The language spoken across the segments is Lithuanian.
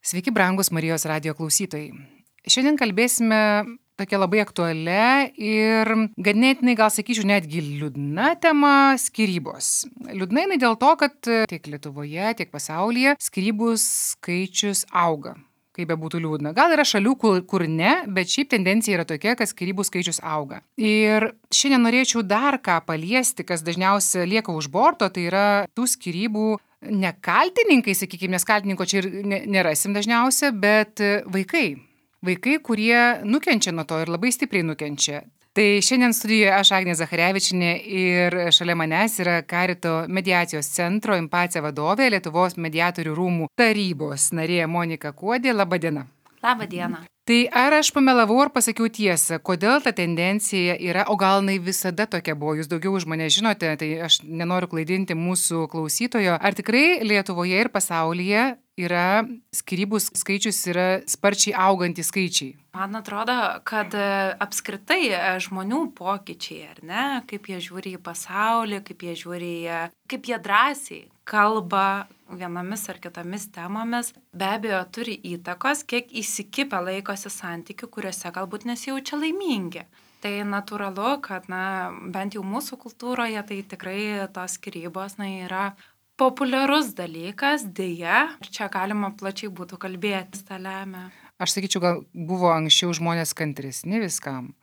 Sveiki, brangus Marijos radijo klausytojai. Šiandien kalbėsime tokia labai aktualia ir ganėtinai, gal sakyčiau, netgi liūdna tema – skyrybos. Liūdna jinai dėl to, kad tiek Lietuvoje, tiek pasaulyje skyrybų skaičius auga. Kaip be būtų liūdna. Gal yra šalių, kur ne, bet šiaip tendencija yra tokia, kad skyrybų skaičius auga. Ir šiandien norėčiau dar ką paliesti, kas dažniausiai lieka už borto, tai yra tų skyrybų ne kaltininkai, sakykime, nes kaltininko čia ir nerasim dažniausia, bet vaikai. Vaikai, kurie nukenčia nuo to ir labai stipriai nukenčia. Tai šiandien studijoje aš, Agnė Zacharevičienė, ir šalia manęs yra Karito mediacijos centro Impacija vadovė, Lietuvos mediatorių rūmų tarybos narė Monika Kuodė. Labą dieną. Labą dieną. Tai ar aš pamelavau ar pasakiau tiesą, kodėl ta tendencija yra, o gal jinai visada tokia buvo, jūs daugiau už mane žinote, tai aš nenoriu klaidinti mūsų klausytojo. Ar tikrai Lietuvoje ir pasaulyje yra skyrybų skaičius yra sparčiai augantys skaičiai? Man atrodo, kad apskritai žmonių pokyčiai, ar ne, kaip jie žiūri į pasaulį, kaip jie drąsiai kalba vienomis ar kitomis temomis, be abejo turi įtakos, kiek įsikipę laikosi santykių, kuriuose galbūt nesijaučia laimingi. Tai natūralu, kad bent jau mūsų kultūroje tai tikrai tos skyrybos yra populiarus dalykas, deja, čia galima plačiai būtų kalbėti, tą lemia. Aš sakyčiau, gal buvo anksčiau žmonės kantresni viskam.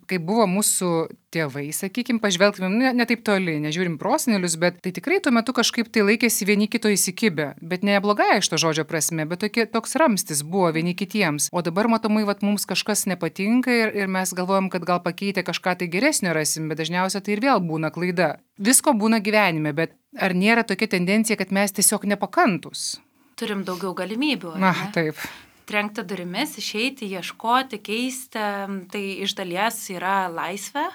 Kai buvo mūsų tėvai, sakykime, pažvelgtume, ne taip toli, nežiūrim prosenelius, bet tai tikrai tuo metu kažkaip tai laikėsi vieni kito įsikibę. Bet ne blogai iš to žodžio prasme, bet toks ramstis buvo vieni kitiems. O dabar matomai, mums kažkas nepatinka ir mes galvojam, kad gal pakeitę kažką tai geresnio rasim, bet dažniausiai tai ir vėl būna klaida. Visko būna gyvenime, bet ar nėra tokia tendencija, kad mes tiesiog nepakantus? Turim daugiau galimybių. Taip. Trenkti durimis, išeiti, ieškoti, keisti, tai iš dalies yra laisvė,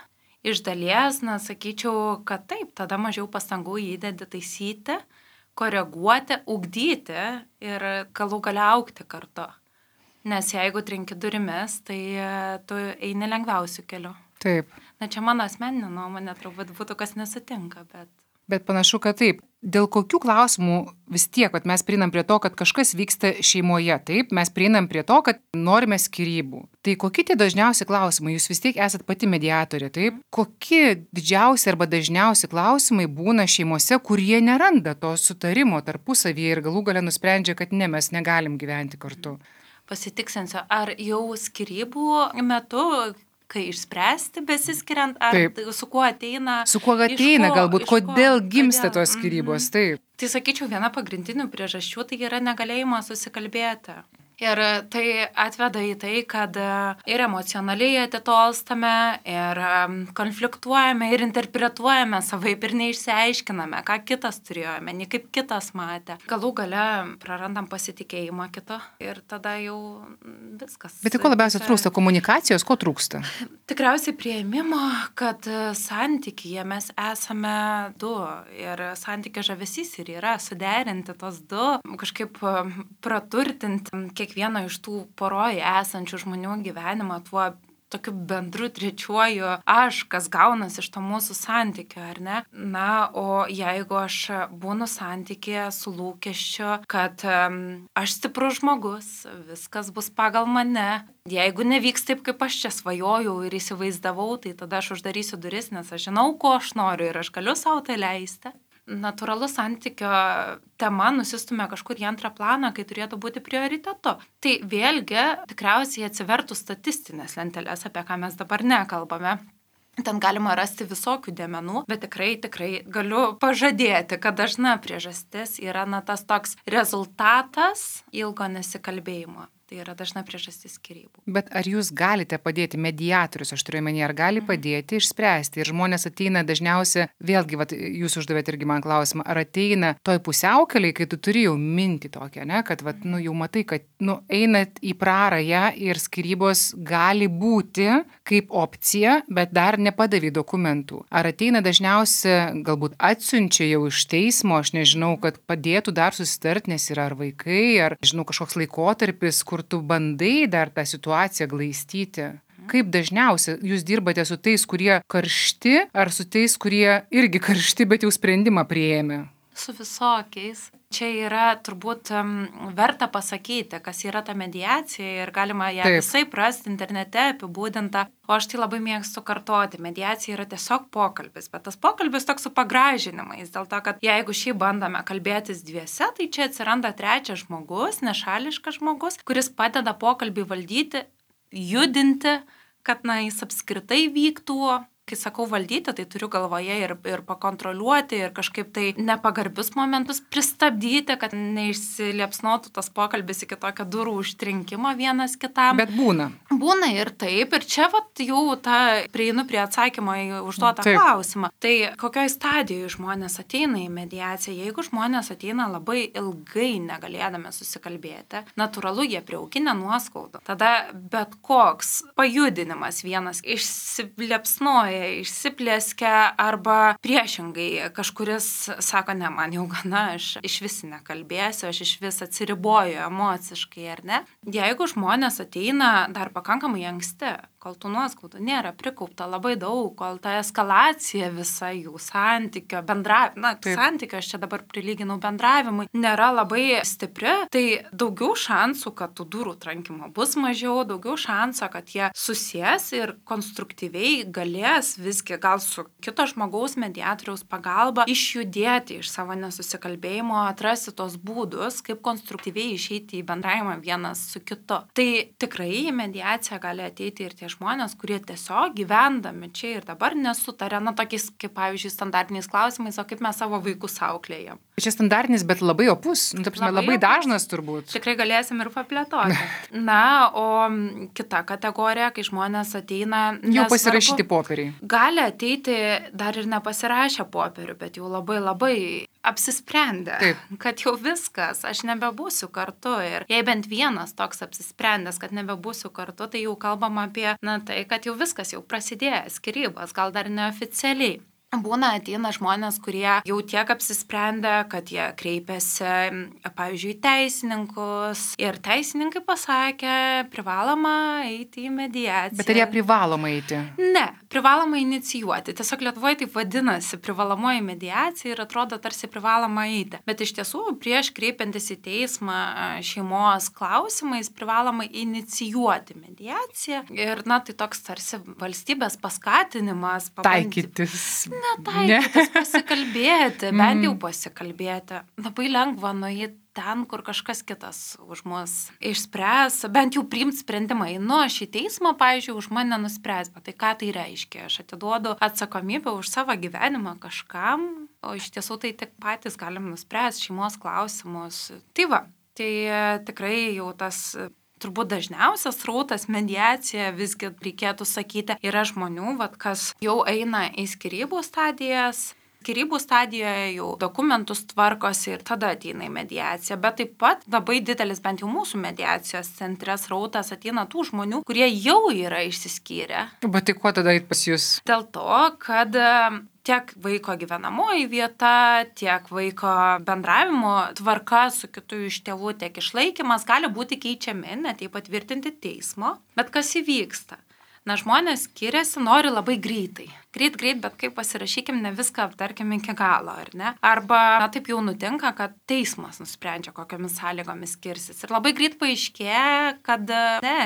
iš dalies, sakyčiau, kad taip, tada mažiau pastangų įdedi taisyti, koreguoti, ugdyti ir galų gale augti kartu. Nes jeigu trenki durimis, tai tu eini lengviausiu keliu. Taip. Čia mano asmeninė nuomonė, turbūt būtų kas nesutinka, bet... Bet panašu, kad taip. Dėl kokių klausimų vis tiek, mes prieinam prie to, kad kažkas vyksta šeimoje, taip, mes prieinam prie to, kad norime skyrybų. Tai kokie tie dažniausi klausimai? Jūs vis tiek esat pati mediatorė, taip? Kokie didžiausi arba dažniausi klausimai būna šeimose, kurie neranda to sutarimo tarpusavyje ir galų gale nusprendžia, kad ne, mes negalim gyventi kartu? Pasitiksinsiu, ar jau skyrybų metu... kai išspręsti besiskiriant, ar taip. Su kuo ateina... Su kuo ateina galbūt, kodėl gimsta tos skyrybos, taip. Tai sakyčiau, viena pagrindinių priežasčių tai yra negalėjimas susikalbėti. Ir tai atveda į tai, kad ir emocionaliai atitolstame, ir konfliktuojame, ir interpretuojame savaip, ir neišsiaiškiname, ką kitas turėjo omeny, kaip kitas matė. Galų gale prarandam pasitikėjimą kito ir tada jau viskas. Bet tai ko labiausiai trūksta? Komunikacijos? Ko trūksta? Tikriausiai priėmimo, kad santykyje mes esame du ir santykio žavesys ir yra suderinti tos du, kažkaip praturtinti kiekvieno iš tų poroje esančių žmonių gyvenimą tuo tokiu bendru trečiuoju aš, kas gaunas iš to mūsų santykio, ar ne? O jeigu aš būnu santykėje su lūkesčiu, kad aš stiprus žmogus, viskas bus pagal mane, jeigu nevyks taip, kaip aš čia svajojau ir įsivaizdavau, tai tada aš uždarysiu duris, nes aš žinau, ko aš noriu ir aš galiu sau tai leisti. Natūralus santykio tema nusistumia kažkur į antrą planą, kai turėtų būti prioritetu. Tai vėlgi tikriausiai atsivertų statistinės lentelės, apie ką mes dabar nekalbame. Ten galima rasti visokių dėmenų, bet tikrai galiu pažadėti, kad dažna priežastis yra tas toks rezultatas ilgo nesikalbėjimo. Tai yra dažna priežastis skyrybų. Bet ar jūs galite padėti, mediatorius, aš turiu omeny, ar gali padėti išspręsti? Ir žmonės ateina dažniausiai, vėlgi, jūs uždavėte irgi man klausimą, ar ateina toj pusiaukeliai, kai tu turi jau mintį tokią, ne? Kad jau matai, kad einat į prarają ir skyrybos gali būti kaip opcija, bet dar nepadavė dokumentų. Ar ateina dažniausiai, galbūt atsiunčia jau iš teismo, aš nežinau, kad padėtų dar susitarti, nes yra ar vaikai, ar, žinau, kažkoks laikotarpis, kur tu bandai dar tą situaciją glaistyti. Kaip dažniausiai jūs dirbate su tais, kurie karšti, ar su tais, kurie irgi karšti, bet jau sprendimą priėmė? Su visokiais. Čia yra turbūt verta pasakyti, kas yra ta mediacija ir galima ją visai rasti internete apibūdinta. O aš tai labai mėgstu kartoti. Mediacija yra tiesiog pokalbis, bet tas pokalbis toks su pagražinimais. Dėl to, kad jeigu šiaip bandome kalbėtis dviese, tai čia atsiranda trečias žmogus, nešališkas žmogus, kuris padeda pokalbį valdyti, judinti, kad jis apskritai vyktų. Kai sakau valdyti, tai turiu galvoje ir pakontroliuoti, ir kažkaip tai nepagarbius momentus pristabdyti, kad neišsiliepsnotų tas pokalbis iki tokio durų užtrinkimo vienas kitam. Bet būna. Būna ir taip, ir čia jau prieinu prie atsakymo į užduotą klausimą. Tai kokioj stadijoje žmonės ateina į mediaciją? Jeigu žmonės ateina labai ilgai negalėdami susikalbėti, natūralu, jie priauginę nuoskaudų. Tada bet koks pajudinimas vienas išsiliepsnoja, išsiplėskia arba priešingai kažkuris sako, ne, man jau gana, aš iš vis nekalbėsiu, aš iš vis atsiriboju emociškai, ar ne? Jeigu žmonės ateina dar pakankamai anksti, kol tų nuoskaudų nėra prikaupta labai daug, kol ta eskalacija visa jų santykio, santykio, aš čia dabar prilyginau bendravimui, nėra labai stipri, tai daugiau šansų, kad tų durų trankimo bus mažiau, daugiau šansų, kad jie susės ir konstruktyviai galės visgi gal su kito žmogaus mediatoriaus pagalba išjudėti iš savo nesusikalbėjimo, atrasti tos būdus, kaip konstruktyviai išeiti į bendravimą vienas su kitu. Tai tikrai į mediaciją gali ateiti ir tie žmonės, kurie tiesiog gyvendami čia ir dabar nesutarė, tokiais kaip, pavyzdžiui, standartiniais klausimais, o kaip mes savo vaikus auklėjam. Čia standartinis, bet labai opus, labai dažnas turbūt. Tikrai galėsim ir paplėtoti. O kita kategorija, kai žmonės ateina... Jau pasirašyti popieriai. Gali ateiti dar ir nepasirašę popierių, bet jau labai apsisprendę, kad jau viskas, aš nebebūsiu kartu. Ir jei bent vienas toks apsisprendęs, kad nebebūsiu kartu, tai jau kalbam apie, tai, kad jau viskas jau prasidėjo, skyrybos, gal dar neoficialiai. Būna ateina žmonės, kurie jau tiek apsisprendę, kad jie kreipiasi, pavyzdžiui, teisininkus. Ir teisininkai pasakė, privaloma eiti į mediaciją. Bet ar jie privaloma eiti? Ne, privaloma inicijuoti. Tiesiog Lietuvoje taip vadinasi privalomoji mediacija ir atrodo tarsi privaloma eiti. Bet iš tiesų, prieš kreipiantis į teismą šeimos klausimais, privaloma inicijuoti mediaciją. Ir, tai toks tarsi valstybės paskatinimas. Taikytis. Netaikytis, pasikalbėti, bent jau pasikalbėti. Labai lengva nueiti ten, kur kažkas kitas už mus išspręs, bent jau priimti sprendimą. Aš į teismą, pavyzdžiui, už mane nuspręs, bet tai ką tai reiškia? Aš atiduodu atsakomybę už savo gyvenimą kažkam, o iš tiesų tai tik patys galim nuspręsti šeimos klausimus. Tai tikrai jau tas... Turbūt dažniausias srautas mediacija, visgi reikėtų sakyti, yra žmonių, kas jau eina į skyrybų stadijas. Skyrybų stadijoje jau dokumentus tvarkosi ir tada ateina į mediaciją. Bet taip pat labai didelis, bent jau mūsų mediacijos centre srautas ateina tų žmonių, kurie jau yra išsiskyrę. Bet tai kuo tada eit pas jūs? Dėl to, kad... tiek vaiko gyvenamoji vieta, tiek vaiko bendravimo tvarka su kitu iš tėvų, tiek išlaikymas gali būti keičiami, net jei patvirtinti teismo. Bet kas įvyksta? Žmonės skiriasi, nori labai greitai. Greit, bet kaip pasirašykim, ne viską aptarkim iki galo, ar ne? Arba taip jau nutinka, kad teismas nusprendžia, kokiamis sąlygomis skirsis. Ir labai greit paaiškėja, kad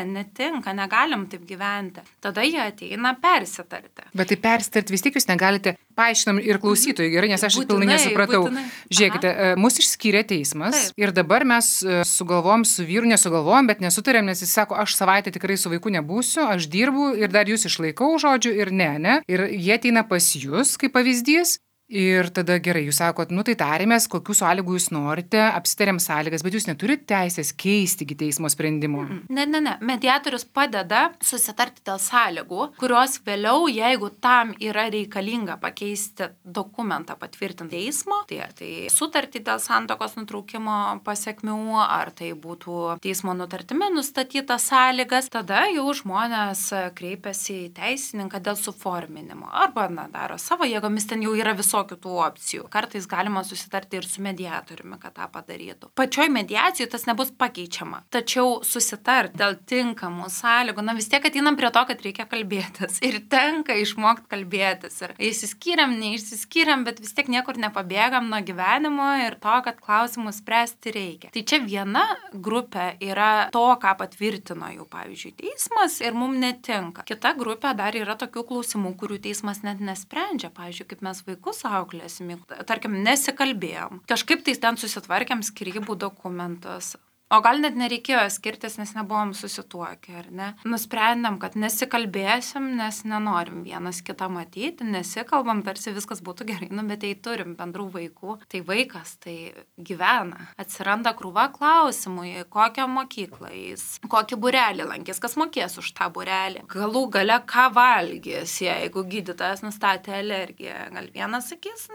netinka, negalim taip gyventi. Tada jie ateina persitarti. Bet tai persitarti vis tiek jūs negalite, paaiškinam ir klausytojai, gerai, nes aš pilnai nesupratau. Žiūrėkite, mus išskyrė teismas ir dabar mes sugalvojom su vyru, nesugalvojom, bet nesutarėm, nes jis sako, aš savaitę tikrai su vaiku nebūsiu, aš dirbu ir dar jūs išlaikau, žodžiu, ir ne. Ir jie ateina pas jūs, kaip pavyzdys, ir tada gerai, jūs sakot, tai tarėmės, kokių sąlygų jūs norite, apsitarėm sąlygas, bet jūs neturite teisės keisti iki teismo sprendimo. Ne. Mediatorius padeda susitarti dėl sąlygų, kurios vėliau, jeigu tam yra reikalinga pakeisti dokumentą patvirtinti teismo, tai sutartį dėl santuokos nutraukimo pasekmių, ar tai būtų teismo nutartimi nustatytas sąlygas, tada jau žmonės kreipiasi į teisininką dėl suforminimo, arba daro savo jėgomis, ten jau yra viso visokių tų opcijų. Kartais galima susitarti ir su mediatoriumi, kad tą padarytų. Pačioj mediacijoje tas nebus pakeičiama. Tačiau susitarti dėl tinkamų sąlygų, vis tiek ateinam prie to, kad reikia kalbėtis. Ir tenka išmokti kalbėtis. Ir išsiskyrėm, neišsiskyrėm, bet vis tiek niekur nepabėgam nuo gyvenimo ir to, kad klausimus spręsti reikia. Tai čia viena grupė yra to, ką patvirtino jau, pavyzdžiui, teismas ir mums netinka. Kita grupė dar yra tokių klausimų, kurių teismas net nesprendžia. Pavyzdžiui, kaip mes vaikus auklėsim, tarkim, nesikalbėjom. Kažkaip tai ten susitvarkėm skyrybų dokumentus. O gal net nereikėjo skirtis, nes nebuvom susituokę, ar ne? Nusprendėm, kad nesikalbėsim, nes nenorim vienas kitą matyti, nesikalbam, tarsi viskas būtų gerai, bet tai turim bendrų vaikų. Tai vaikas, tai gyvena. Atsiranda krūva klausimų, kokią mokyklą jis, kokį būrelį lankys, kas mokės už tą būrelį. Galų gale ką valgys, jeigu gydytojas nustatė alergiją. Gal vienas sakys,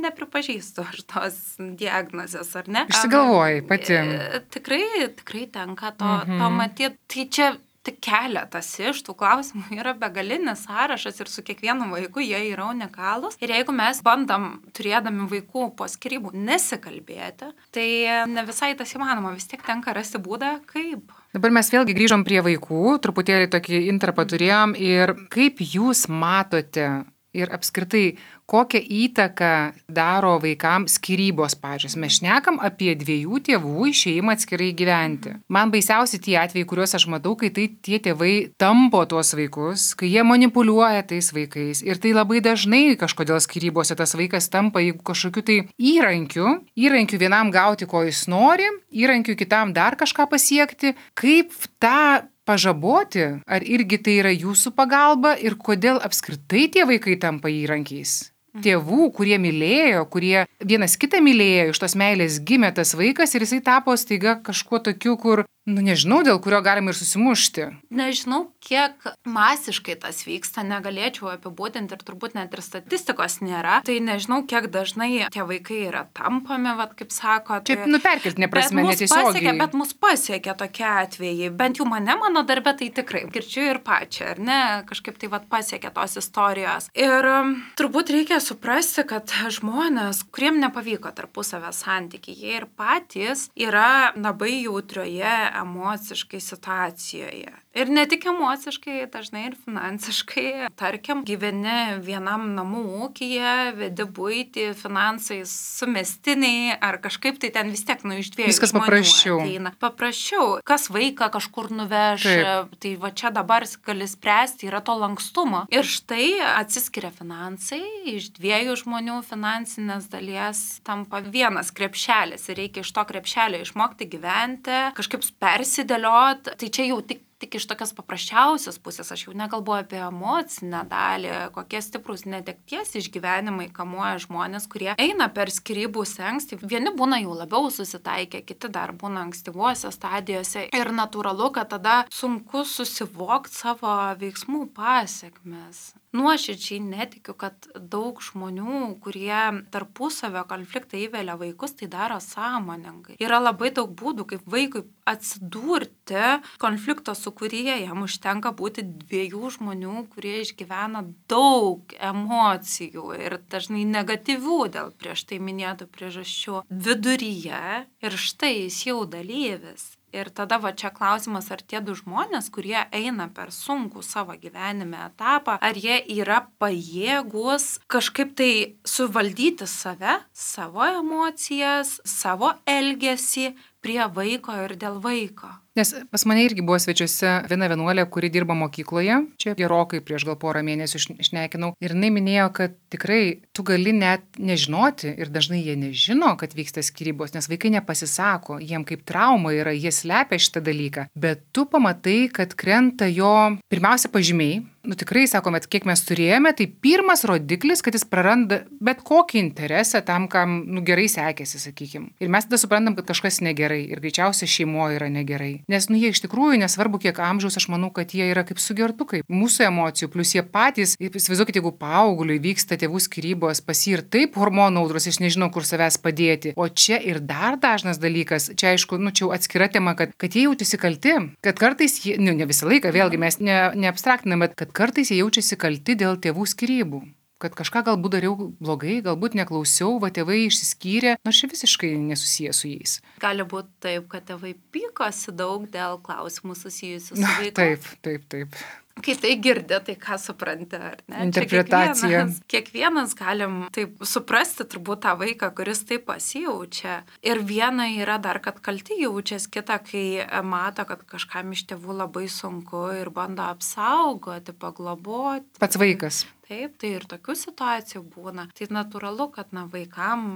nepripažįstu aš tos diagnozės, ar ne? Išsigalvoji pati. Tikrai tenka to matyti. Tai čia tik keletas iš tų klausimų yra begalinis sąrašas ir su kiekvienu vaiku jie yra unikalūs. Ir jeigu mes bandom, turėdami vaikų po skyrybų, nesikalbėti, tai ne visai tas įmanoma. Vis tiek tenka rasti būdą, kaip. Dabar mes vėlgi grįžom prie vaikų, truputėlį tokį intarpą turėjom ir kaip jūs matote ir apskritai, kokią įtaką daro vaikams skyrybos pačios. Mes šnekam apie dviejų tėvų išėjimą atskirai gyventi. Man baisiausi tie atvejai, kuriuos aš matau, kai tie tėvai tampo tuos vaikus, kai jie manipuliuoja tais vaikais. Ir tai labai dažnai kažkodėl skyrybose tas vaikas tampa kažkokiu tai įrankiu vienam gauti, ko jis nori, įrankiu kitam dar kažką pasiekti. Kaip tą pažaboti, ar irgi tai yra jūsų pagalba ir kodėl apskritai tie vaikai tampa įrankiais? Tėvų, kurie mylėjo, kurie vienas kitą mylėjo, iš tos meilės gimė tas vaikas ir jisai tapo staiga kažkuo tokiu, kur, nežinau, dėl kurio galima ir susimušti. Nežinau, kiek masiškai tas vyksta, negalėčiau apibūdinti ir turbūt net ir statistikos nėra. Tai nežinau, kiek dažnai tie vaikai yra tampami, kaip sako. Čia perkeltinė prasme, netiesiogiai. Bet mus pasiekia tokie atvejai. Bent jau mano darbe tai tikrai. Girdžiu ir pačią, ar ne? Kažkaip tai pasiekia tos istorijos. Ir turbūt reikia suprasti, kad žmonės, kuriem nepavyko tarpusavio santykiai, jie ir patys yra labai jautrioje emociškai situacijoje. Ir ne tik emociškai, dažnai ir finansiškai. Tarkim, gyveni vienam namų ūkyje, vedi buitį, finansai sumestiniai, ar kažkaip tai ten vis tiek iš dviejų viskas žmonių paprasčiau. Ateina. Paprasčiau. Kas vaiką kažkur nuveš, tai čia dabar gali spręsti, yra to lankstumo. Ir štai atsiskiria finansai, iš dviejų žmonių finansinės dalies tampa vienas krepšelis ir reikia iš to krepšelio išmokti gyventi, kažkaip persidėlioti. Tai čia jau tik iš tokios paprasčiausios pusės, aš jau nekalbu apie emocinę dalį, kokie stiprus netekties išgyvenimai kamuoja žmonės, kurie eina per skyrybų slenkstį. Vieni būna jau labiau susitaikę, kiti dar būna ankstyvuose stadijose ir natūralu, kad tada sunku susivokti savo veiksmų pasekmes. Nuoširdžiai netikiu, kad daug žmonių, kurie tarpusavio konfliktą įvelia vaikus, tai daro sąmoningai. Yra labai daug būdų, kaip vaikui atsidurti konflikto sūkuryje. Jam užtenka būti dviejų žmonių, kurie išgyvena daug emocijų ir dažnai negatyvių dėl prieš tai minėtų priežasčių viduryje ir štai jis jau dalyvis. Ir tada čia klausimas, ar tie du žmonės, kurie eina per sunkų savo gyvenime etapą, ar jie yra pajėgus kažkaip tai suvaldyti save, savo emocijas, savo elgesį prie vaiko ir dėl vaiko. Nes pas mane irgi buvo svečiuose viena vienuolė, kuri dirba mokykloje, čia gerokai prieš gal porą mėnesių šnekinau, ir jinai minėjo, kad tikrai tu gali net nežinoti ir dažnai jie nežino, kad vyksta skyrybos, nes vaikai nepasisako, jiem kaip trauma yra, jie slepia šitą dalyką, bet tu pamatai, kad krenta jo pirmiausia pažymiai. Tikrai, sakome, kiek mes turėjome, tai pirmas rodiklis, kad jis praranda bet kokį interesą tam, kam gerai sekėsi, sakykim. Ir mes tada suprantam, kad kažkas negerai ir greičiausiai šeimoje yra negerai. Nes jie iš tikrųjų, nesvarbu kiek amžiaus, aš manau, kad jie yra kaip sugertukai. Mūsų emocijų, plus jie patys, įsivaizduokit, jeigu paaugliui vyksta tėvų skyrybos, pas jį ir taip hormonų audros, aš nežinau, kur savęs padėti. O čia ir dar dažnas dalykas, čia aišku, čia atskira tema, kad jie jautėsi kalti, kad kartais, ne visą laiką, vėlgi mes neabstraktiname, kad kartais jie jaučiasi kalti dėl tėvų skyrybų. kad kažką galbūt dariau blogai, galbūt neklausiau, va tėvai išsiskyrė, nors čia visiškai nesusiję su jais. Gali būti taip, kad tėvai pykosi daug dėl klausimų susijusių su vaiku. Taip. Kai tai girdi, tai ką supranti, ar ne? Interpretacija. Kiekvienas galim taip suprasti turbūt tą vaiką, kuris taip pasijaučia. Ir viena yra dar, kad kalti jaučiasi, kita, kai mato, kad kažkam iš tėvų labai sunku ir bando apsaugoti, pagloboti. Pats vaikas. Taip, tai ir tokių situacijų būna. Tai natūralu, kad vaikam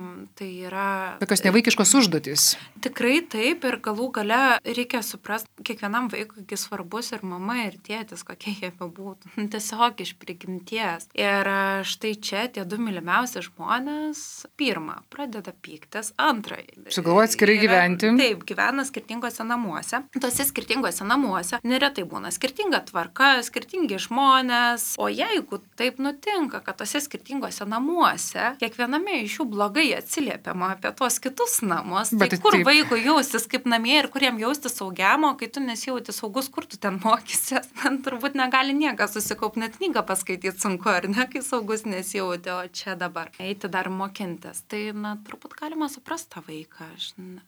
tai yra... Tokios nevaikiškos užduotys. Tikrai taip, ir galų gale reikia suprasti, kiekvienam vaikui svarbus ir mama, ir tėtis, kokie jie bebūtų. Tiesiog iš prigimties. Ir štai čia tie du mylimiausi žmonės, pirmą, pradeda pyktis, antrą. Sugalvoja atskirai gyventi. Taip, gyvena skirtingose namuose. Tuose skirtingose namuose neretai būna skirtinga tvarka, skirtingi žmonės, o jeigu taip nutinka, kad tose skirtingose namuose kiekviename iš jų blogai atsiliepiama apie tuos kitus namus. Tai kur vaikui jaustis kaip namie ir kuriem jaustis saugiamo, kai tu nesijauti saugus, kur tu ten mokysies. Man turbūt negali niekas susikaupti, net knygą paskaityti sunku, ar ne, kai saugus nesijauti, o čia dabar eiti dar mokintis. Tai, turbūt galima suprasti tą vaiką.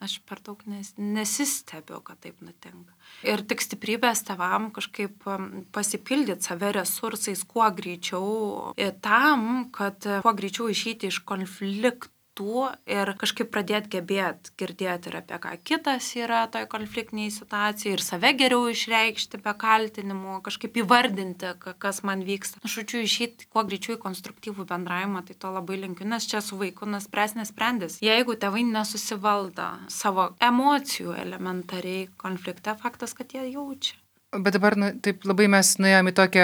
Aš per daug nesistebiu, kad taip nutinka. Ir tik stiprybės tėvam kažkaip pasipildyti save resursais kuo greičiau tam, kad kuo greičiau išeiti iš konfliktų ir kažkaip pradėti gebėti girdėti ir apie ką kitas yra toj konfliktiniai situacijai ir save geriau išreikšti be kaltinimų, kažkaip įvardinti, kas man vyksta. Žodžiu, išeiti kuo greičiau į konstruktyvų bendravimą, tai to labai linkiu, nes čia su vaiku nesprendės. Jeigu tėvai nesusivaldo savo emocijų elementariai konflikte, faktas, kad jie jaučia. Bet dabar, taip labai mes nuėjome į tokią,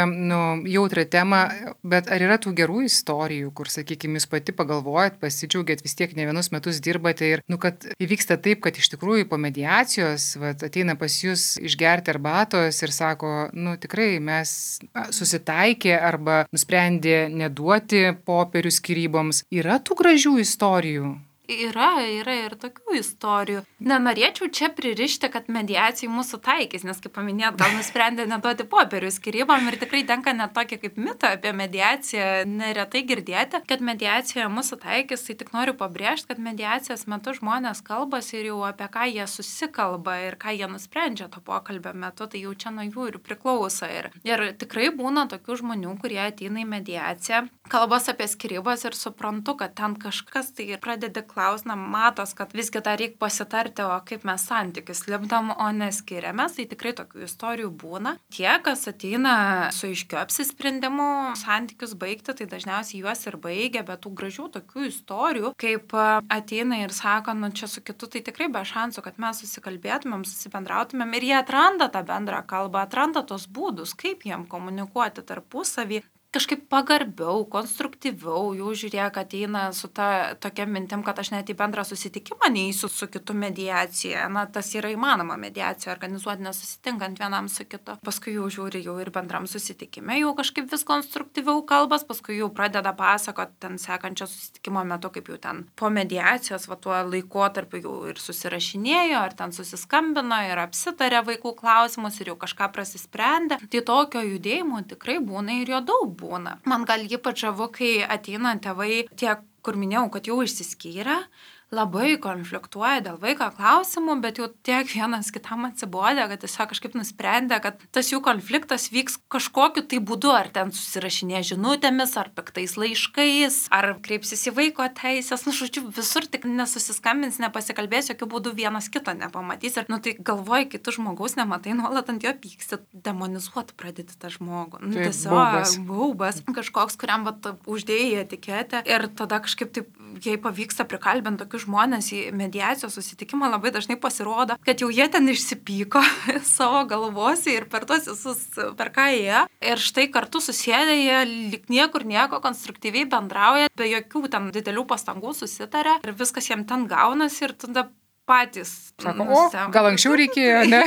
jautrą temą, bet ar yra tų gerų istorijų, kur, sakykime, jūs pati pagalvojat, pasidžiaugiat, vis tiek ne vienus metus dirbate ir, kad įvyksta taip, kad iš tikrųjų po mediacijos, ateina pas jūs išgerti arbatos ir sako, tikrai mes susitaikė arba nusprendė neduoti popierių skyryboms. Yra tų gražių istorijų? Yra ir tokių istorijų. Nenorėčiau čia pririšti, kad mediacijai mūsų taikys, nes, kaip paminėt, gal nusprendė neduoti popierių skyrybom ir tikrai tenka net tokį kaip mitą apie mediaciją neretai girdėti, kad mediacijoje mūsų taikys, tai tik noriu pabrėžti, kad mediacijos metu žmonės kalbasi ir jau apie ką jie susikalba ir ką jie nusprendžia to pokalbio metu, tai jau čia nuo jų ir priklauso. Ir tikrai būna tokių žmonių, kurie ateina į mediaciją, kalbas apie skyrybas ir suprantu, kad ten kažkas tai pradeda klausti, matos, kad visgi dar reikia pasitarti, o kaip mes santykius lipdom, o neskiriamės, tai tikrai tokių istorijų būna. Tie, kas ateina su aiškiu apsisprendimu santykius baigti, tai dažniausiai juos ir baigia, bet tų gražių tokių istorijų, kaip ateina ir sako, čia su kitu, tai tikrai be šansų, kad mes susikalbėtumėm, susibendrautumėm ir jie atranda tą bendrą kalbą, atranda tos būdus, kaip jiem komunikuoti tarpusavį. Kažkaip pagarbiau, konstruktyviau, jau žiūrėk, ateina su tokia mintim, kad aš net į bendrą susitikimą neįsiu su kitu mediacija. Tas yra įmanoma mediacija organizuoti nesusitinkant vienam su kitu. Paskui jau žiūri jau ir bendram susitikime, jau kažkaip vis konstruktyviau kalbas, paskui jau pradeda pasakoti ten sekančio susitikimo metu, kaip jau ten po mediacijos, tuo laikotarpiu jau ir susirašinėjo, ar ten susiskambino ir apsitarė vaikų klausimus ir jau kažką prasisprendė. Tai tokio judėjimo tikrai būna ir jo daug būna. Man gal ypač žavu, kai ateina tėvai tie, kur minėjau, kad jau išsiskyrė, labai konfliktuoja dėl vaiko klausimų, bet jau tiek vienas kitam atsibodė, kad tiesiog kažkaip nusprendė, kad tas jų konfliktas vyks kažkokiu tai būdu, ar ten susirašinė žinutėmis, ar piktais laiškais, ar kreipsis į vaiko teisės, žodžiu, visur tik nesusiskambins, nepasikalbės, jokių būdų vienas kito nepamatys. Ir, tai galvoji, kai tu žmogaus nematai, nuolat ant jo pyksti, demonizuoti pradėti tą žmogų. Tiesiog baubas, kažkoks, kuriam uždėjai etiketę ir tada kažkaip taip, jei pavyksta prikalbinti tokius žmonės į mediacijos susitikimą, labai dažnai pasirodo, kad jau jie ten išsipyko savo galvose ir per tos visus, per ką jie. Ir štai kartu susėdė, jie lyg niekur nieko konstruktyviai bendrauja, be jokių ten didelių pastangų susitarė ir viskas jiem ten gaunasi ir tada patys. Sako, gal anksčiau reikėjo, ne?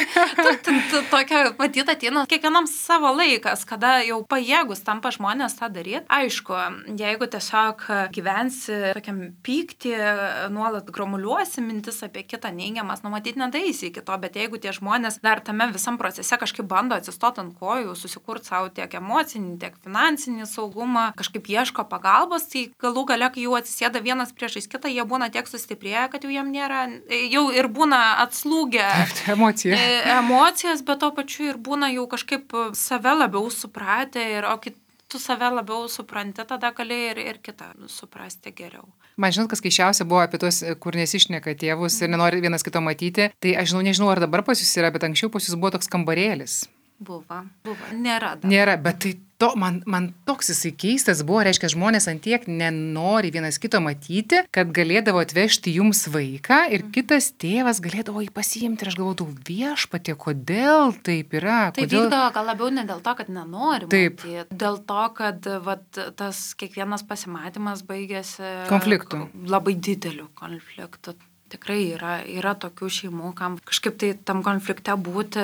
Tokia matyt ateina kiekvienam savo laikas, kada jau pajėgus tampa žmonės tą daryti. Aišku, jeigu tiesiog gyvensi tokiam pykti, nuolat gromuliuosi mintis apie kitą neigiamas, matyti nedaisi iki to, bet jeigu tie žmonės dar tame visam procese kažkaip bando atsistoti ant kojų, susikurti savo tiek emocinį, tiek finansinį saugumą, kažkaip ieško pagalbos, tai galų gale, kai jau atsisėda vienas priešais kitą, jie būna tiek sustiprėję, kad jau jam nėra, jau ir būna atslūgę emocijos, bet to pačiu ir būna jau kažkaip save labiau supratę, o tu save labiau supranti, tada gali ir kitą suprasti geriau. Man žinot, kas keiščiausia buvo apie tos, kur nesišneka tėvus ir nenori vienas kito matyti, tai aš nežinau, ar dabar pas jūs yra, bet anksčiau pas jūs buvo toks kambarėlis. Buvo. Nėra. Nėra, bet tai man toks jisai keistas buvo, reiškia, žmonės antiek nenori vienas kito matyti, kad galėdavo atvežti jums vaiką ir kitas tėvas galėdavo jį pasiimti ir aš galvodavau, viešpatie, kodėl taip yra? Tai vykdavo gal labiau ne dėl to, kad nenori matyti, dėl to, kad tas kiekvienas pasimatymas baigėsi konfliktu. Labai dideliu konfliktu. Tikrai yra tokių šeimų, kam kažkaip tai tam konflikte būti,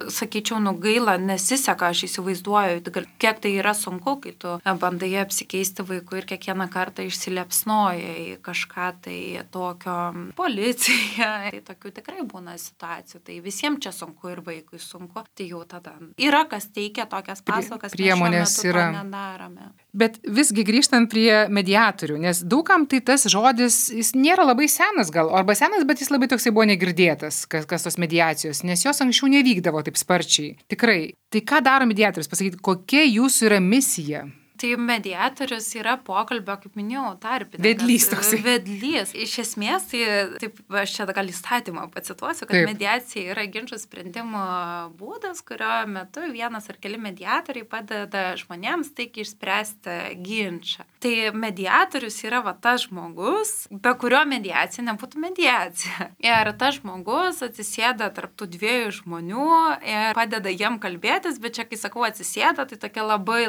sakyčiau, gaila, nesiseka, aš įsivaizduoju, kiek tai yra sunku, kai tu bandai apsikeisti vaiku ir kiekvieną kartą išsilepsnoja į kažką tai tokio policija. Tai tokių tikrai būna situacijų, tai visiems čia sunku ir vaikui sunku, tai jau tada yra, kas teikia tokias paslaugas, priemonės yra. Nedarome. Bet visgi grįžtant prie mediatorių, nes daugam tai tas žodis, jis nėra labai senas gal, arba senas, bet jis labai toksai buvo negirdėtas, kas tos mediacijos, nes jos anksčiau nevykdavo taip sparčiai. Tikrai. Tai ką daro mediatorius? Pasakyti, kokia jūsų yra misija? Tai mediatorius yra pokalbio, kaip minėjau, tarpininkas. Vedlys toksai. Vedlys. Iš esmės, tai taip, aš čia gal įstatymą pacituosiu, kad mediacija yra ginčų sprendimo būdas, kurio metu vienas ar keli mediatoriai padeda žmonėms taigi išspręsti ginčą. Tai mediatorius yra tas žmogus, be kurio mediacija nebūtų mediacija. Ir tas žmogus atsisėda tarp tų dviejų žmonių ir padeda jiem kalbėtis, bet čia, kai sakau atsisėda, tai tokia labai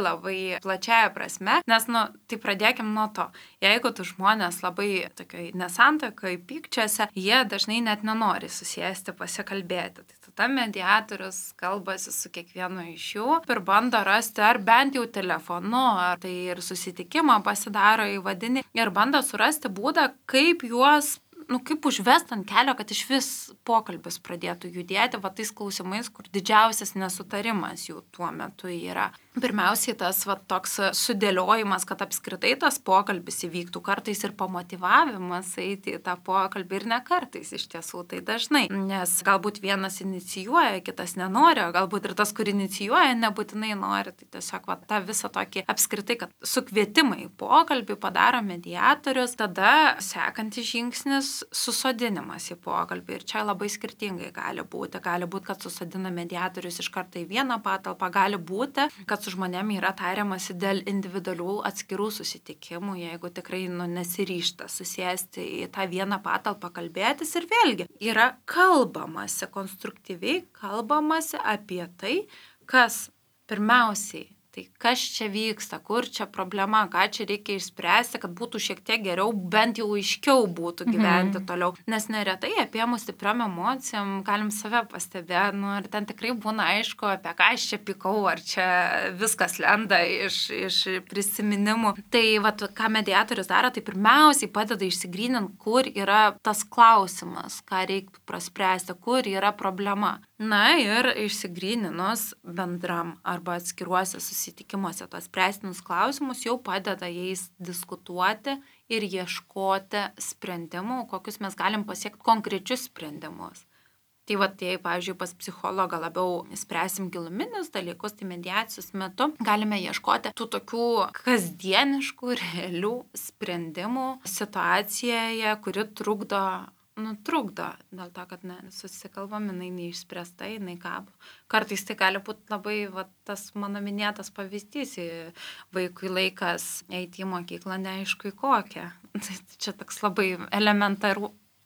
plačia prasme, nes, tai pradėkim nuo to. Jeigu tu žmonės labai tokioj nesantaikoj pykčiuose, jie dažnai net nenori susėsti, pasikalbėti. Tai tada mediatorius kalbasi su kiekvienu iš jų ir bando rasti ar bent jau telefonu, ar tai ir susitikimą pasidaro įvadinį ir bando surasti būdą, kaip juos kaip užvest ant kelio, kad iš vis pokalbis pradėtų judėti, tais klausimais, kur didžiausias nesutarimas jų tuo metu yra. Pirmiausiai tas toks sudėliojimas, kad apskritai tas pokalbis įvyktų, kartais ir pamotyvavimas eiti į tą pokalbį ir ne kartais iš tiesų, tai dažnai, nes galbūt vienas inicijuoja, kitas nenori, o galbūt ir tas, kur inicijuoja, nebūtinai nori, tai tiesiog tą visą tokį apskritai, kad sukvietimą į pokalbį padaro mediatorius, tada sekantis žingsnis susodinimas į pokalbį ir čia labai skirtingai gali būti, kad susodina mediatorius iš karto į vieną patalpą, gali būti, kad su žmonėm yra tariamasi dėl individualių atskirų susitikimų, jeigu tikrai nesiryžta susėsti į tą vieną patalpą kalbėtis ir vėlgi yra kalbamasi, konstruktyviai kalbamasi apie tai, kas pirmiausiai, tai kas čia vyksta, kur čia problema, ką čia reikia išspręsti, kad būtų šiek tiek geriau, bent jau aiškiau būtų gyventi toliau. Nes neretai apėmus stipriom emocijom galim save pastebėti, ir ten tikrai būna aišku, apie ką aš čia pykau, ar čia viskas lenda iš prisiminimų. Tai ką mediatorius daro, tai pirmiausiai padeda išsigryninti, kur yra tas klausimas, ką reiktų praspręsti, kur yra problema. Ir išsigryninus bendram arba atskiruose susitikimuose tos spręstinus klausimus jau padeda jais diskutuoti ir ieškoti sprendimų, kokius mes galim pasiekti konkrečius sprendimus. Tai jei, pavyzdžiui, pas psichologą labiau spręsim giluminius dalykus, tai mediacijos metu galime ieškoti tų tokių kasdieniškų, realių sprendimų situacijoje, kuri trukdo, dėl to, kad susikalbam, jinai neišspręsta, jinai kabo. Kartais tai gali būti labai, tas mano minėtas pavyzdys, vaikui laikas eiti į mokyklą neaišku į kokią. Tai čia toks labai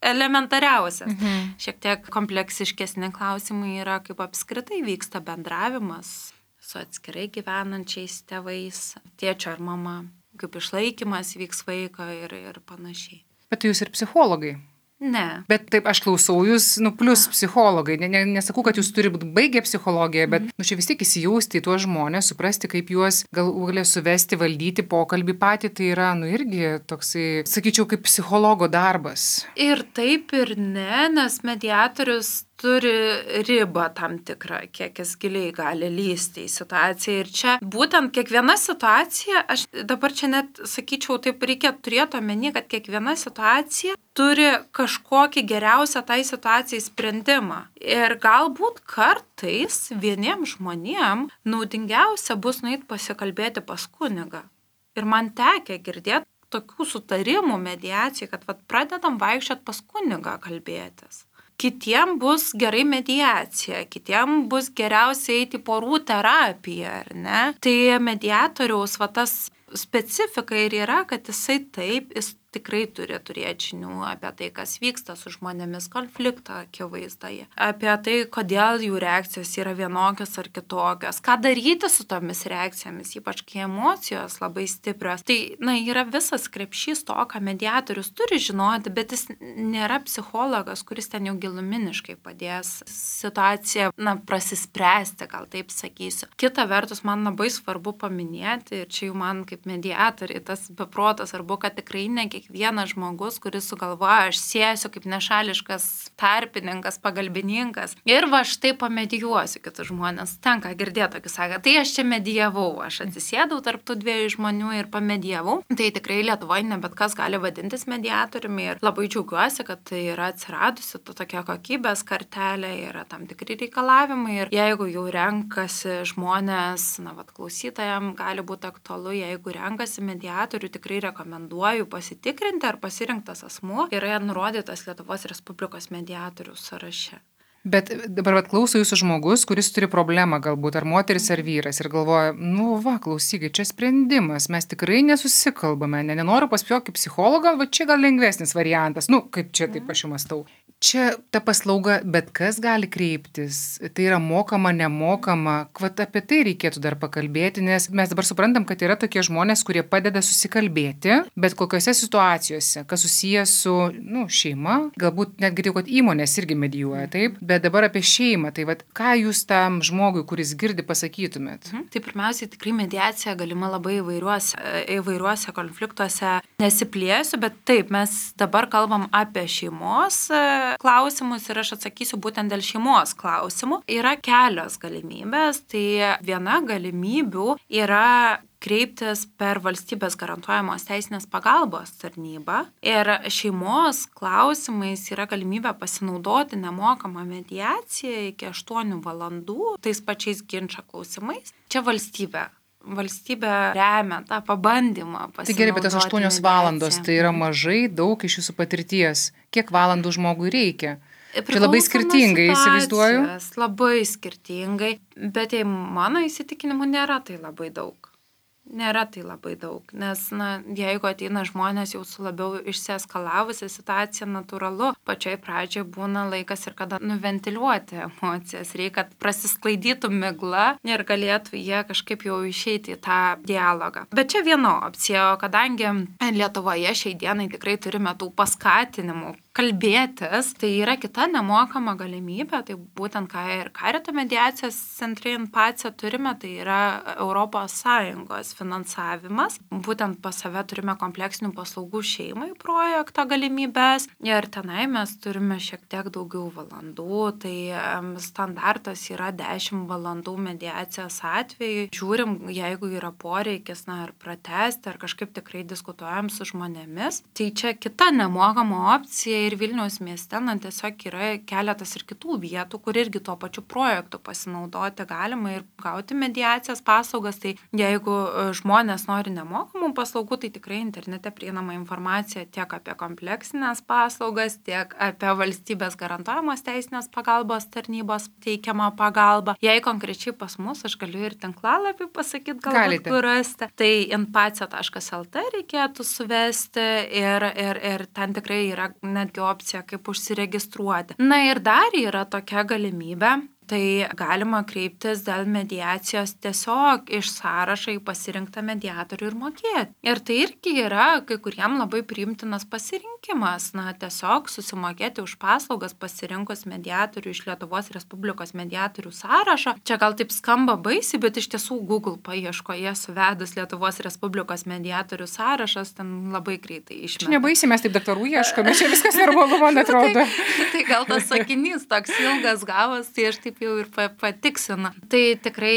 elementariausias. Šiek tiek kompleksiškesni klausimai yra, kaip apskritai vyksta bendravimas su atskirai gyvenančiais tėvais, tėčio ar mama, kaip išlaikymas vyks vaiko ir panašiai. Bet jūs ir psichologai. Ne. Bet taip, aš klausau jūs, plus psichologai. Nesakau, kad jūs turi būti baigę psichologiją, bet čia vis tiek įsijausti į tuos žmonės, suprasti, kaip juos galų suvesti, valdyti pokalbį patį, tai yra, irgi toksai, sakyčiau, kaip psichologo darbas. Ir taip ir ne, nes mediatorius turi ribą tam tikrą, kiek jis giliai gali lysti į situaciją. Ir čia būtent kiekviena situacija, aš dabar čia net sakyčiau, taip reikia turėti omeny, kad kiekviena situacija turi kažkokį geriausią tai situacijai sprendimą. Ir galbūt kartais vieniem žmonėm naudingiausia bus nueit pasikalbėti pas kunigą. Ir man tekę girdėti tokių sutarimų mediacijai, kad pradedam vaikščiot pas kunigą kalbėtis. Kitiem bus gerai mediacija, kitiem bus geriausia eiti porų terapiją, ar ne? Tai mediatoriaus tas specifika ir yra, kad jis tikrai turi turėti žinių apie tai, kas vyksta su žmonėmis konflikto akivaizdoje, apie tai, kodėl jų reakcijos yra vienokios ar kitokios, ką daryti su tomis reakcijomis, ypač kai emocijos labai stiprios. Tai, yra visas krepšys to, ką mediatorius turi žinoti, bet jis nėra psichologas, kuris ten jau giluminiškai padės situaciją, prasispręsti, gal taip sakysiu. Kita vertus, man labai svarbu paminėti, ir čia jau man kaip mediatoriai tas beprotas, arba kad tikrai ne kiekvienas žmogus, kuris sugalvoja, aš sėsiu kaip nešališkas tarpininkas, pagalbininkas ir štai pamedijuosiu kitus žmonės. Tenka girdėti tokį saką, tai aš čia medijavau, aš atsisėdau tarp tų dviejų žmonių ir pamedijavau. Tai tikrai Lietuvoje ne bet kas gali vadintis mediatoriumi ir labai džiaugiuosi, kad tai yra atsiradusi tokia kokybės kartelė, yra tam tikri reikalavimai ir jeigu jau renkasi žmonės, klausytojams gali būti aktualu, jeigu renkasi mediatorių, tikrai rekomenduoju pasitikrinti, ar pasirinktas asmuo yra nurodytas Lietuvos Respublikos mediatorių sąraše. Bet dabar klauso jūsų žmogus, kuris turi problemą galbūt, ar moteris, ar vyras, ir galvoja, klausykit, čia sprendimas, mes tikrai nesusikalbame, nenoriu pas jokį psichologą, čia gal lengvesnis variantas, kaip čia taip aš jau mąstau. Čia ta paslauga, bet kas gali kreiptis, tai yra mokama, nemokama, apie tai reikėtų dar pakalbėti, nes mes dabar suprantam, kad yra tokie žmonės, kurie padeda susikalbėti, bet kokiose situacijose, kas susijęs su, šeima, galbūt net girdėjau, kad įmonės irgi medijuoja, taip, bet dabar apie šeimą, tai ką jūs tam žmogui, kuris girdi, pasakytumėt? Tai pirmiausiai tikrai mediacija galima labai įvairiuose konfliktuose, nesiplėsiu, bet taip, mes dabar kalbam apie šeimos klausimus ir aš atsakysiu būtent dėl šeimos klausimų. Yra kelios galimybės, tai viena galimybių yra kreiptis per valstybės garantuojamos teisinės pagalbos tarnybą ir šeimos klausimais yra galimybė pasinaudoti nemokamą mediaciją iki 8 valandų tais pačiais ginčo klausimais. Čia valstybė remia tą pabandymą pasinaudoti. Tai gerai, bet tas 8 valandos, tai yra mažai daug iš jūsų patirties. Kiek valandų žmogui reikia? Čia labai skirtingai, įsivaizduoju. Labai skirtingai, bet mano įsitikinimu nėra tai labai daug. Nes, jeigu ateina žmonės jau su labiau išsieskalavusią situaciją, natūralu, pačioj pradžioje būna laikas ir kada nuventiliuoti emocijas, reikia, kad prasisklaidytų migla ir galėtų jie kažkaip jau išeiti į tą dialogą. Bet čia viena opcija, kadangi Lietuvoje šiai dienai tikrai turime tų paskatinimų kalbėtis, tai yra kita nemokama galimybė, tai būtent ką ir Karito mediacijos centre INPACE turime, tai yra ES finansavimas. Būtent pas save turime kompleksinių paslaugų šeimai projekto galimybės ir tenai mes turime šiek tiek daugiau valandų, tai standartas yra 10 valandų mediacijos atveju. Žiūrim, jeigu yra poreikis, ar pratęsti, ar kažkaip tikrai diskutuojam su žmonėmis. Tai čia kita nemokama opcija ir Vilniaus mieste, tiesiog yra keletas ir kitų vietų, kur irgi tuo pačiu projektu pasinaudoti galima ir gauti mediacijos paslaugas. Tai jeigu žmonės nori nemokamų paslaugų, tai tikrai internete prieinama informacija tiek apie kompleksinės paslaugas, tiek apie valstybės garantuojamos teisinės pagalbos tarnybos teikiamą pagalbą. Jei konkrečiai pas mus, aš galiu ir tinklalapį pasakyti, galbūt kur rasti. Tai inpace.lt reikėtų suvesti ir ten tikrai yra netgi opcija, kaip užsiregistruoti. Ir dar yra tokia galimybė, Tai galima kreiptis dėl mediacijos tiesiog iš sąrašo į pasirinktą mediatorių ir mokėti. Ir tai irgi yra kai kuriem labai priimtinas pasirinkimas. Na, tiesiog susimokėti už paslaugas pasirinkus mediatorių iš Lietuvos Respublikos mediatorių sąrašo. Čia gal taip skamba baisiai, bet iš tiesų Google paieškoje suvedus Lietuvos Respublikos mediatorių sąrašas, ten labai greitai išmeta. Čia nebaisiai, mes taip daktarų ieškome, čia viskas normalu, man atrodo. Tai gal tas sakinys toks ilgas gavas, tai aš taip jau ir patiksinu. Tai tikrai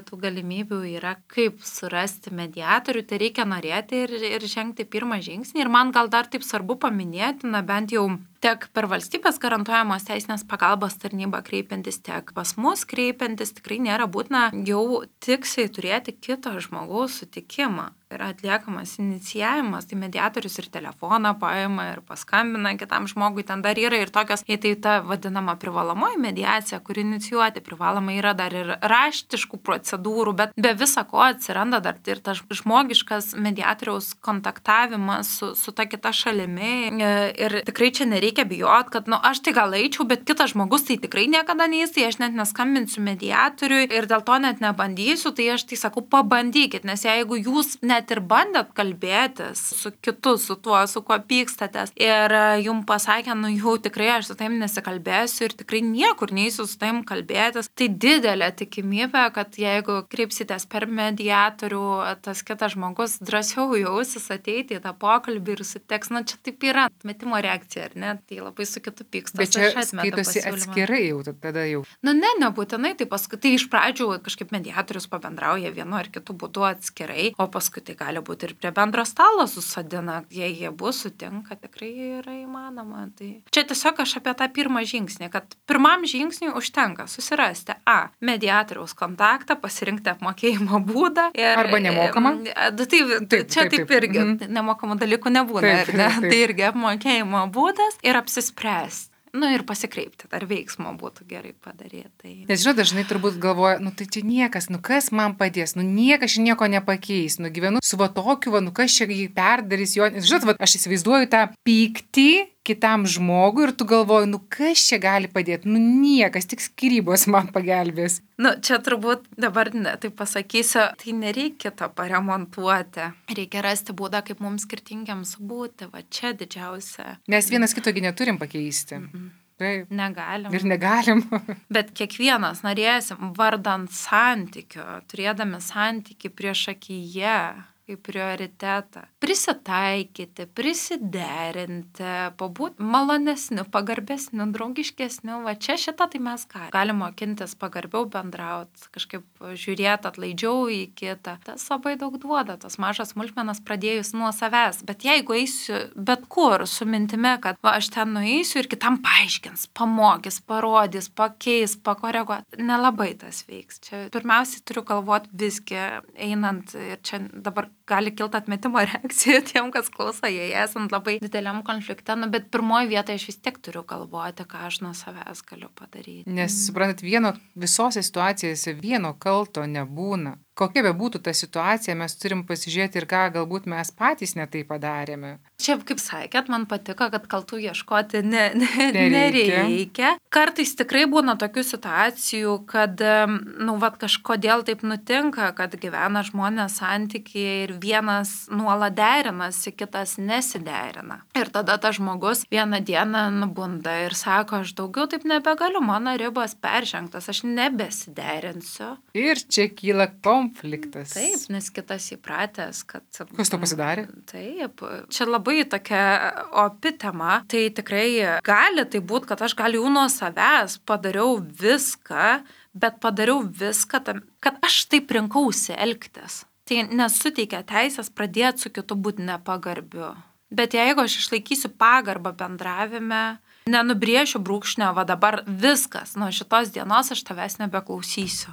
tų galimybių yra, kaip surasti mediatorių, tai reikia norėti ir žengti pirmą žingsnį. Ir man gal dar taip svarbu paminėti, na bent jau tiek per valstybės garantuojamos teisinės pagalbos tarnybą kreipiantis, tiek pas mus kreipiantis, tikrai nėra būtina jau tiksliai turėti kito žmogaus sutikimą. Yra atliekamas inicijavimas, tai mediatorius ir telefoną paima ir paskambina kitam žmogui, ten dar yra ir tokios, tai ta vadinama privalomoji mediacija, kuri inicijuoti privaloma, yra dar ir raštiškų procedūrų, bet be visa ko atsiranda dar ir tas žmogiškas mediatoriaus kontaktavimas su ta kita šalimi ir tikrai čia nereikia bijot, kad aš tai gal eičiau, bet kitas žmogus tai tikrai niekada neįs, tai aš net neskambinsiu mediatoriui ir dėl to net nebandysiu, tai aš tai sakau, pabandykit, nes jeigu jūs net ir bandėt kalbėtis su kitu, su tuo, su kuo pykstatės ir jums pasakė, jau tikrai aš su taim nesikalbėsiu ir tikrai niekur neįsiu su taim kalbėtis, tai didelė tikimybė, kad jeigu kreipsitės per mediatorių, tas kitas žmogus drąsiau jausis ateiti į tą pokalbį ir suteks, čia taip yra metimo reakcija, ar ne, tai labai su kitu pykstas. Bet čia skaitosi atskirai jau, tada jau. Nebūtinai, tai paskui, tai iš pradžių kažkaip mediatorius pabendrauja vienu ar kitu būdu atskirai, o paskui tai gali būti ir prie bendro stalo susadina, jei jie bus sutinka, tikrai yra įmanoma. Tai čia tiesiog aš apie tą pirmą žingsnį, kad pirmam žingsniui užtenka susirasti mediatoriaus kontaktą, pasirinkti apmokėjimo būdą. Arba nemokamą. Taip irgi nemokamų dalykų nebūna, tai irgi apmokėjimo būdas ir apsispręsti. Ir pasikreipti, ar veiksmo būtų gerai padaryti. Nes dažnai turbūt galvoja, tai čia niekas, kas man padės, niekas čia nieko nepakeis, gyvenu su tokiu, kas čia jį perdarys, jo, aš įsivaizduoju tą pyktį kitam žmogui ir tu galvoji, kas čia gali padėti, niekas, tik skyrybos man pagelbės. Čia turbūt dabar taip pasakysiu, tai nereikia to paremontuoti, reikia rasti būdą, kaip mums skirtingiams būti, čia didžiausia. Nes vienas kitogi neturim pakeisti. Taip. Negalim. Ir negalim. Bet kiekvienas norėsim vardant santykio, turėdami santykį prieš akyje, kaip prioritetą. Prisitaikyti, prisiderinti, pabūti malonesniu, pagarbesniu, draugiškesniu. Čia šitą tai mes galim mokintis pagarbiau bendrauti, kažkaip žiūrėti atlaidžiau į kitą. Tas labai daug duoda, tos mažas smulkmenas pradėjus nuo savęs. Bet jeigu eisiu bet kur su mintimi, kad aš ten nueisiu ir kitam paaiškins, pamokys, parodys, pakeis, pakoreguoti, nelabai tas veiks. Čia pirmiausiai turiu galvoti visgi einant ir čia dabar gali kilti atmetimo reakcija tiem, kas klauso, jei esant labai dideliam konflikte, bet pirmoji vietoje aš vis tiek turiu galvoti, ką aš nuo savęs galiu padaryti. Nes, suprantat, visose situacijose vieno kalto nebūna. Kokia be būtų ta situacija, mes turim pasižiūrėti ir ką galbūt mes patys netai padarėme. Čia, kaip sakėt, man patiko, kad kaltų ieškoti nereikia. Kartais tikrai būna tokių situacijų, kad kažkodėl taip nutinka, kad gyvena žmonės santykiai ir vienas nuolat derinasi, kitas nesiderina. Ir tada tas žmogus vieną dieną nubunda ir sako, aš daugiau taip nebegaliu, mano ribos peržengtos, aš nebesiderinsiu. Ir čia kyla konfliktas. Taip, nes kitas įpratęs, kad... Kas to pasidarė? Taip, čia labai tokia opi tema. Tai tikrai gali tai būti, kad aš gal jau nuo savęs padariau viską, bet padariau viską, kad aš taip rinkausi elgtis. Tai nesuteikia teisės pradėti su kitu būti nepagarbiu. Bet jeigu aš išlaikysiu pagarbą bendravime, nenubrėšiu brūkšnio, dabar viskas, nuo šitos dienos aš tavęs nebeklausysiu.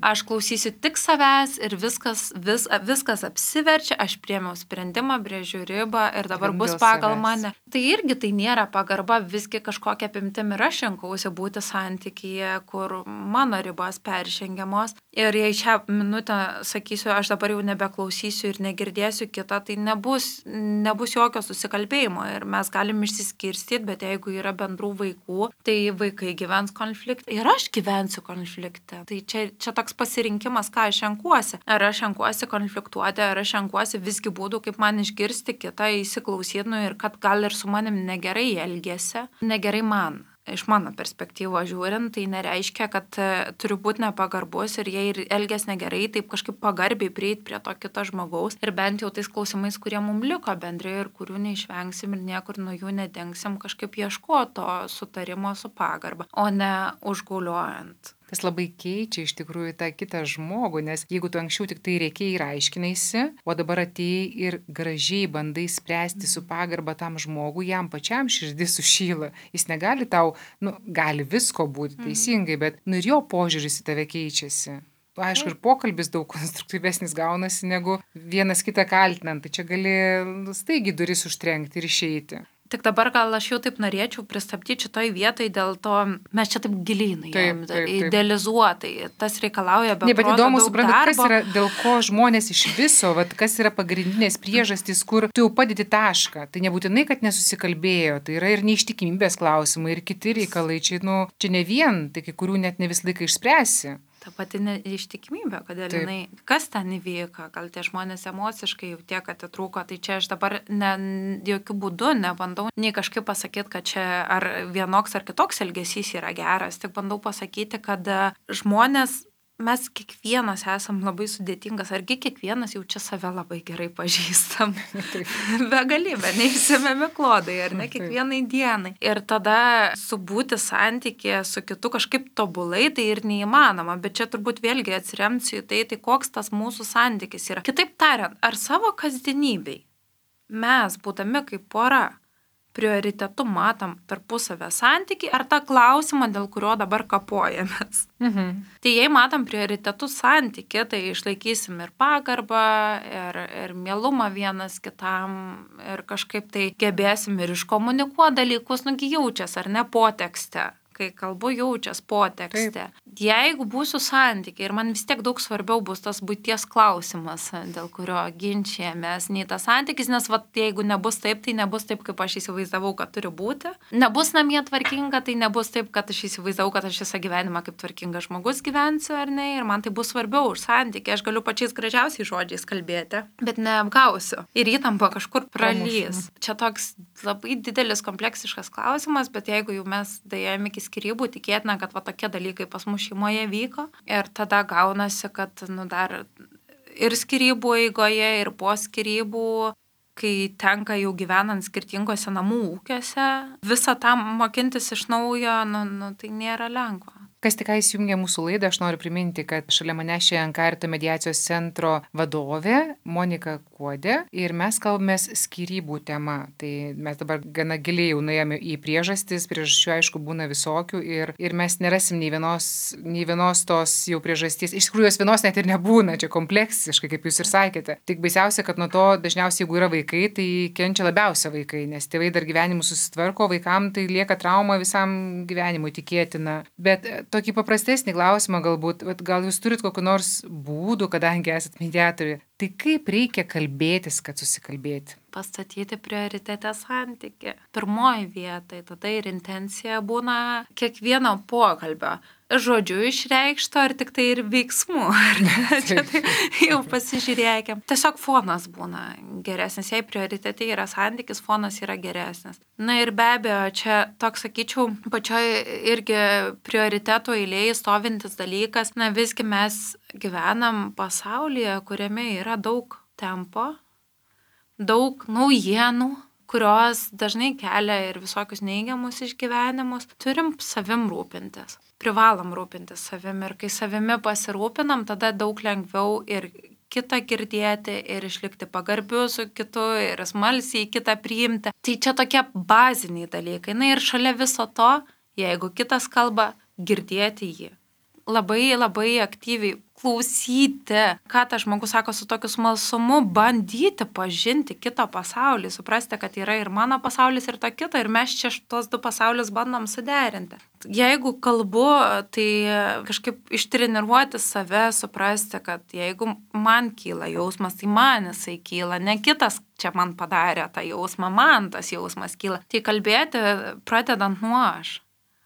Aš klausysiu tik savęs ir viskas apsiverčia, aš priėmiau sprendimą, brėžiu ribą ir dabar bus pagal mane. Tai irgi tai nėra pagarba, visgi kažkokia apimtim ir aš renkausi būti santykyje, kur mano ribos peržengiamos. Ir jei šią minutę sakysiu, aš dabar jau nebeklausysiu ir negirdėsiu kitą, tai nebus jokio susikalbėjimo ir mes galim išsiskirstyti, bet jeigu yra bendrų vaikų, tai vaikai gyvens konflikte ir aš gyvensiu konflikte. Tai čia toks pasirinkimas, ką aš renkuosi. Ar aš renkuosi konfliktuoti, ar aš renkuosi visgi būdų, kaip man išgirsti kitą, įsiklausyti, ir kad gal ir su manim negerai elgėsi, negerai man. Iš mano perspektyvos žiūrint, tai nereiškia, kad turiu būti nepagarbus ir jei elgės negerai, taip kažkaip pagarbiai prieiti prie to kito žmogaus ir bent jau tais klausimais, kurie mums liko bendrai ir kurių neišvengsim ir niekur nuo jų nedengsim, kažkaip ieškoti to sutarimo su pagarba, o ne užgauliojant. Tas labai keičia iš tikrųjų tą kitą žmogų, nes jeigu tu anksčiau tik tai reikiai ir aiškinaisi, o dabar atėjai ir gražiai bandai spręsti su pagarba tam žmogui, jam pačiam širdis sušyla. Jis negali tau, gali visko būti teisingai, bet ir jo požiūris į tave keičiasi. Aišku, ir pokalbis daug konstruktyvesnis gaunasi negu vienas kitą kaltinant, tai čia gali staigiai duris užtrenkti ir išeiti. Tik dabar gal aš jau taip norėčiau pristabdyti šitoj vietoj, dėl to mes čia taip giliai idealizuotai. Tas reikalauja be proto daug darbo. Bet įdomu suprantat, kas yra, dėl ko žmonės iš viso, kas yra pagrindinės priežastys, kur tu jau padedi tašką. Tai nebūtinai, kad nesusikalbėjo, tai yra ir neištikimybės klausimai, ir kiti reikalai. Čia ne vien, tai kai kurių net ne visą laiką išspręsi. Ta pati neištikimybė, kodėl jinai, kas ten įvyko, gal tie žmonės emociškai jau tiek atitrūko, tai čia aš dabar jokių būdų nebandau nei kažkaip pasakyti, kad čia ar vienoks ar kitoks elgesys yra geras, tik bandau pasakyti, kad žmonės, mes kiekvienas esam labai sudėtingas, argi kiekvienas jau čia save labai gerai pažįstam. Begalybė, neįsimėmi klodai, ar ne, kiekvienai dienai. Ir tada subūti santykį su kitu kažkaip tobulai, tai ir neįmanoma, bet čia turbūt vėlgi atsiremsiu į tai koks tas mūsų santykis yra. Kitaip tariant, ar savo kasdienybei mes, būdami kaip pora, prioritetu matom tarpusavę santykį ar tą klausimą, dėl kurio dabar kapojamės. Tai jei matom prioritetų santykį, tai išlaikysim ir pagarbą, ir mielumą vienas kitam, ir kažkaip tai gebėsim ir iškomunikuoti dalykus, jaučias ar ne potekste. Kai kalbu jaučias potekste. Jeigu būsiu santykiai ir man vis tiek daug svarbiau bus tas buities klausimas, dėl kurio ginčijamės, nei tas santykis, nes jeigu nebus taip, tai nebus taip, kaip aš įsivaizdavau, kad turi būti. Nebus namie tvarkinga, tai nebus taip, kad aš įsivaizdavau, kad aš visą gyvenimą kaip tvarkingas žmogus gyvensiu ar ne, ir man tai bus svarbiau už santykį. Aš galiu pačiais gražiausiais žodžiais kalbėti, bet neapgausiu. Ir įtampa kažkur pralys. Čia toks labai didelis kompleksiškas klausimas, bet jeigu jau mes dėjome iki skyrybų, tikėtina, kad tokie dalykai pas mus šeimoje vyko. Ir tada gaunasi, kad dar ir skyrybų eigoje, ir po skyrybų, kai tenka jau gyvenant skirtingose namų ūkiuose, visą tam mokintis iš naujo, tai nėra lengva. Kas tik įsijungė mūsų laidą, aš noriu priminti, kad šalia mane šiandien Karito mediacijos centro vadovė Monika Kuodė ir mes kalbamės skyrybų tema. Tai mes dabar gana giliai jau nuėjome į priežastis, priežasčių aišku būna visokių ir mes nerasim nei vienos tos jau priežasties. Iš tikrųjų, jos vienos net ir nebūna, čia kompleksiškai, kaip jūs ir sakėte. Tik baisiausia, kad nuo to dažniausiai, jeigu yra vaikai, tai kenčia labiausia vaikai, nes tėvai dar gyvenimus susitvarko, vaikam tai lieka trauma visam gyvenimui tikėtina. Bet tokį paprastesnį klausimą galbūt, gal jūs turit kokiu nors būdų, kadangi esat mediatorė, tai kaip reikia kalbėtis, kad susikalbėti? Pastatyti prioritetę santykį. Pirmoji vieta, tada ir intencija būna kiekvieno pokalbio. Žodžiu išreikšto, ar tik tai ir veiksmų. Čia tai jau pasižiūrėkim. Tiesiog fonas būna geresnis. Jei prioritete yra santykis, fonas yra geresnis. Na ir be abejo, čia toks, sakyčiau, pačioj irgi prioriteto eilėje stovintis dalykas. Na visgi mes gyvenam pasaulyje, kuriame yra daug tempo, daug naujienų, kurios dažnai kelia ir visokius neigiamus išgyvenimus. Turim savim rūpintis. Privalom rūpintis savim ir kai savimi pasirūpinam, tada daug lengviau ir kitą girdėti, ir išlikti pagarbiu su kitu, ir smalsiai kitą priimti. Tai čia tokie baziniai dalykai. Na ir šalia viso to, jeigu kitas kalba, girdėti jį. labai labai aktyviai klausyti, ką tas žmogus sako su tokiu smalsumu, bandyti pažinti kito pasaulį, suprasti, kad yra ir mano pasaulis, ir to kito, ir mes čia tos du pasaulius bandom suderinti. Jeigu kalbu, tai kažkaip ištreniruoti save, suprasti, kad jeigu man kyla jausmas, tai man jisai kyla, ne kitas čia man padarė tą jausmą, man tas jausmas kyla. Tai kalbėti pradedant nuo aš.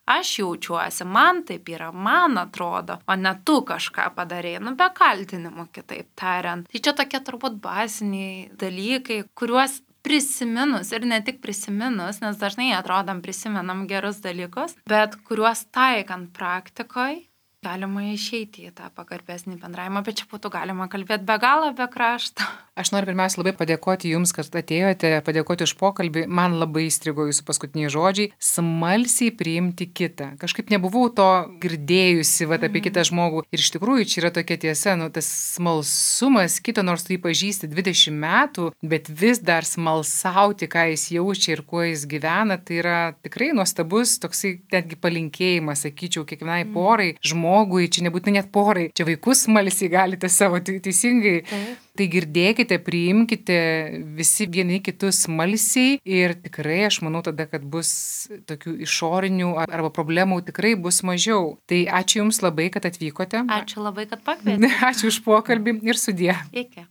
Aš jaučiuosi, man taip yra, man atrodo, o ne tu kažką padarėjai, be kaltinimų kitaip tariant. Tai čia tokie turbūt baziniai dalykai, kuriuos prisiminus ir ne tik prisiminus, nes dažnai atrodom prisimenam gerus dalykus, bet kuriuos taikant praktikoje, galima išeiti į tą pagarbesnį bendravimą, bet čia būtų galima kalbėti be galo, be krašto. Aš noriu pirmiausia labai padėkoti Jums, kad atėjote, padėkoti už pokalbį. Man labai įstrigo Jūsų paskutiniai žodžiai - smalsiai priimti kitą. Kažkaip nebuvau to girdėjusi apie kitą žmogų. Ir iš tikrųjų čia yra tokia tiesa, tas smalsumas kito, nors tu jį pažįsti 20 metų, bet vis dar smalsauti, ką jis jaučia ir kuo jis gyvena, tai yra tikrai nuostabus toksai netgi palinkėjimas, sakyčiau, kiekvienai porai, žmogui, čia nebūtinai net porai, čia vaikus smalsiai galite savo teisingai. Tai girdėkite, priimkite visi vieni kitus smalsiai ir tikrai aš manau tada, kad bus tokių išorinių arba problemų tikrai bus mažiau. Tai ačiū Jums labai, kad atvykote. Ačiū labai, kad pakvietėte. Ačiū už pokalbį ir sudie. Iki.